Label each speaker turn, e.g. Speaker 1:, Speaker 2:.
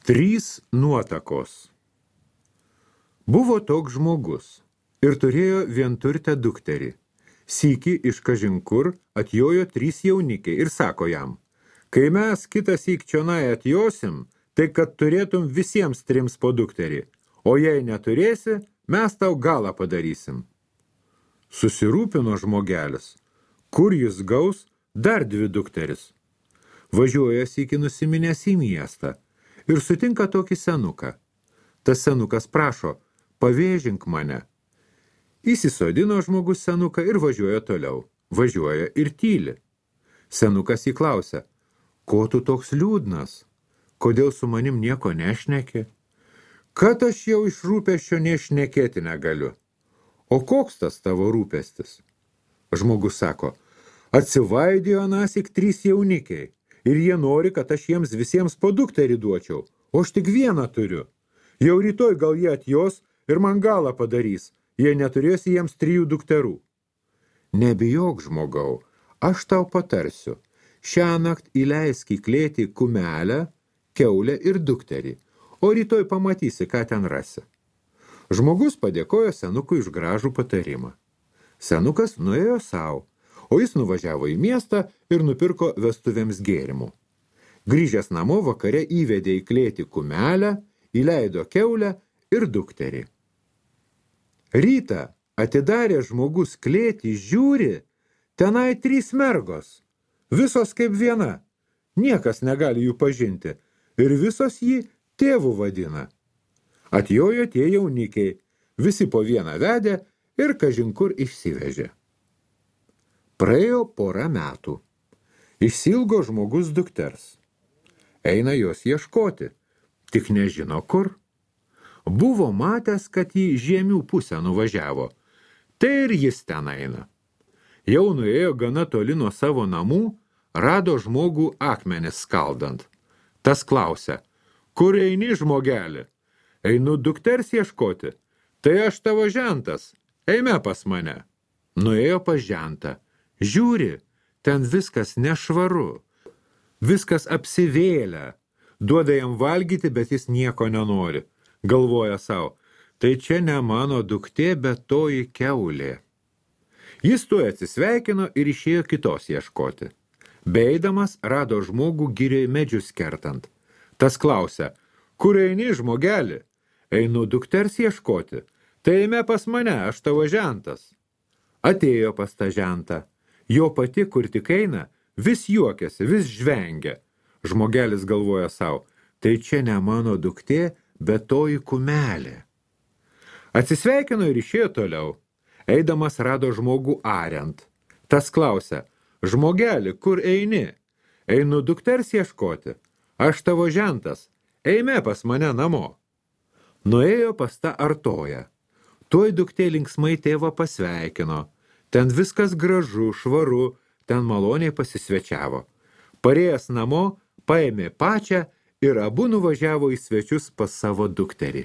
Speaker 1: 3 nuotakos. Buvo toks žmogus ir turėjo vienturtę dukterį. Sykį iš kažin kur atjojo 3 jaunikiai ir sako jam, kai mes kitąsyk čionai atjosim, tai kad turėtum visiems 3 po dukterį, o jei neturėsi, mes tau galą padarysim. Susirūpino žmogelis, kur jis gaus dar 2 dukteris. Važiuoja sykį nusiminęs į miestą ir sutinka tokį senuką. Tas senukas prašo, pavėžink mane. Įsisodino žmogus senuką ir važiuoja toliau. Važiuoja ir tyli. Senukas įklausia, ko tu toks liūdnas? Kodėl su manim nieko nešneki? Kad aš jau iš rūpesčio nešnekėti negaliu. O koks tas tavo rūpestis? Žmogus sako, atsivaidėjo anąsyk 3 jaunikiai ir jie nori, kad aš jiems visiems po dukterį duočiau, o aš tik vieną turiu. Jau rytoj gal jie atjos ir man galą padarys, jei neturėsi jiems 3 dukterų. Nebijok, žmogau, aš tau patarsiu. Šiąnakt įleisk į klėtį kumelę, kiaulę ir dukterį, o rytoj pamatysi, ką ten rasi. Žmogus padėkojo senukui už gražų patarimą. Senukas nuėjo savo, o jis nuvažiavo į miestą ir nupirko vestuvėms gėrimų. Grįžęs namo vakare įvedė į klėtį kumelę, įleido kiaulę ir dukterį. Rytą atidarė žmogus klėtį, žiūri, tenai 3 mergos, visos kaip viena, niekas negali jų pažinti ir visos jį tėvu vadina. Atjojo tie jaunikiai, visi po vieną vedė ir kažin kur išsivežė. Praėjo porą metų. Išsilgo žmogus dukters. Eina jos ieškoti, tik nežino kur. Buvo matęs, kad į žiemių pusę nuvažiavo, tai ir jis ten eina. Jau nuėjo gana toli nuo savo namų, rado žmogų akmenis skaldant. Tas klausia, kur eini, žmogelį? Einu dukters ieškoti, tai aš tavo žentas, eime pas mane. Nuėjo pas žentą. Žiūri, ten viskas nešvaru, viskas apsivėlę, duoda jam valgyti, bet jis nieko nenori. Galvoja savo, tai čia ne mano duktė, bet toji kiaulė. Jis tuoj atsisveikino ir išėjo kitos ieškoti. Beeidamas rado žmogų girioj medžius kertant. Tas klausia, kur eini, žmogelį? Einu dukters ieškoti, tai eime pas mane, aš tavo žentas. Atėjo pas tą žentą. Jo pati, kur tik eina, vis juokiasi, vis žvengia. Žmogelis galvoja savo, tai čia ne mano duktė, bet toji kumelė. Atsisveikino ir išėjo toliau. Eidamas rado žmogų ariant. Tas klausia, žmogelį, kur eini? Einu dukters ieškoti. Aš tavo žentas, eime pas mane namo. Nuėjo pas tą artoją. Tuoj duktė linksmai tėvą pasveikino. Ten viskas gražu, švaru, ten maloniai pasisvečiavo. Parėjęs namo, paėmė pačią ir abu nuvažiavo į svečius pas savo dukterį.